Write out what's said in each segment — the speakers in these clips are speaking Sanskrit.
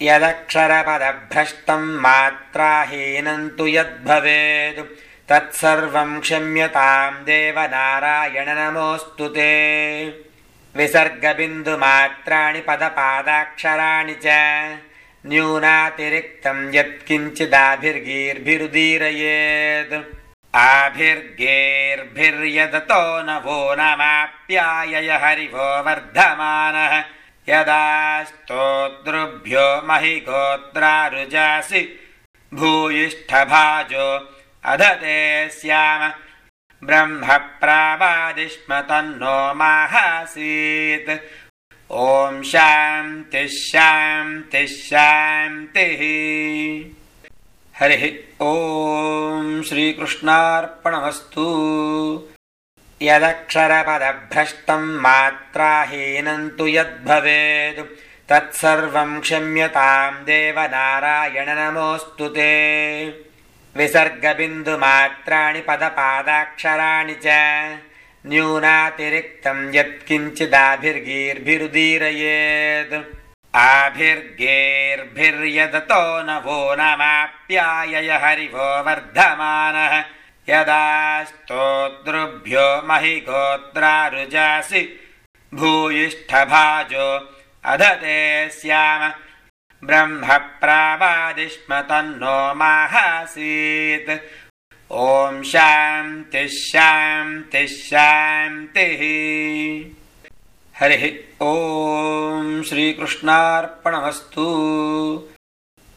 यदक्षरपदभ्रष्टं मात्राहीनं तु यद्भवेत् तत्सर्वं क्षम्यतां देव नारायण नमोऽस्तु ते। विसर्गबिन्दुमात्राणि पदपादाक्षराणि च न्यूनातिरिक्तं यत्किञ्चिदाभिर्गीर्भिरुदीरयेत्। आभिर्गेर्भिर्यदतो नभो नमाप्यायय हरिवो वर्धमानः यदा स्तोतृभ्यो महि गोत्रारुजासि भूयिष्ठभाजो अधते स्याम ब्रह्म प्रावादिष्म तन्नो माहासीत्। ॐ शान्तिः शान्तिः शान्तिः। हरिः ॐ श्रीकृष्णार्पणमस्तु। यदक्षरपदभ्रष्टं मात्राहीनं तु यद्भवेत् तत्सर्वं क्षम्यतां देव नारायण नमोऽस्तु ते। विसर्गबिन्दुमात्राणि पदपादाक्षराणि च न्यूनातिरिक्तं यत्किञ्चिदाभिर्गीर्भिरुदीरयेत्। आभिर्गेर्भिर्यदतो नभो नमाप्यायय हरिवो वर्धमानः यदा स्तोतृभ्यो महि गोत्रारुजासि भूयिष्ठभाजो अधते स्याम ब्रह्म प्रावादिष्म तन्नो माहासीत्। ॐ शान्तिः शान्तिः शान्तिः। हरिः ॐ श्रीकृष्णार्पणमस्तु।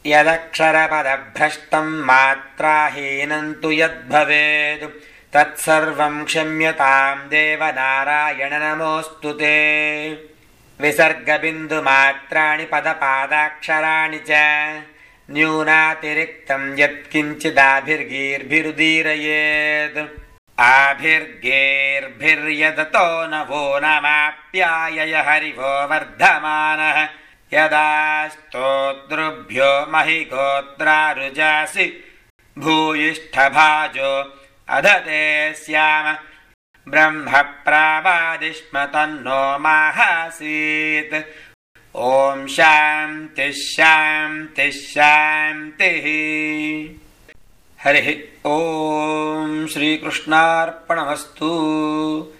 यदक्षरपदभ्रष्टं मात्राहीनं तु यद्भवेत् तत्सर्वं क्षम्यतां देव नारायण नमोऽस्तु ते। विसर्गबिन्दुमात्राणि पदपादाक्षराणि च न्यूनातिरिक्तं यत्किञ्चिदाभिर्गीर्भिरुदीरयेत्। आभिर्गेर्भिर्यदतो नभो नमाप्यायय हरिवो वर्धमानः यदा स्तोतृभ्यो महि गोत्रारुजासि भूयिष्ठभाजो अधते स्याम ब्रह्म प्रावादिष्म तन्नो माहासीत्। ॐ शान्तिः शान्तिः शान्तिः। हरिः ॐ श्रीकृष्णार्पणमस्तु।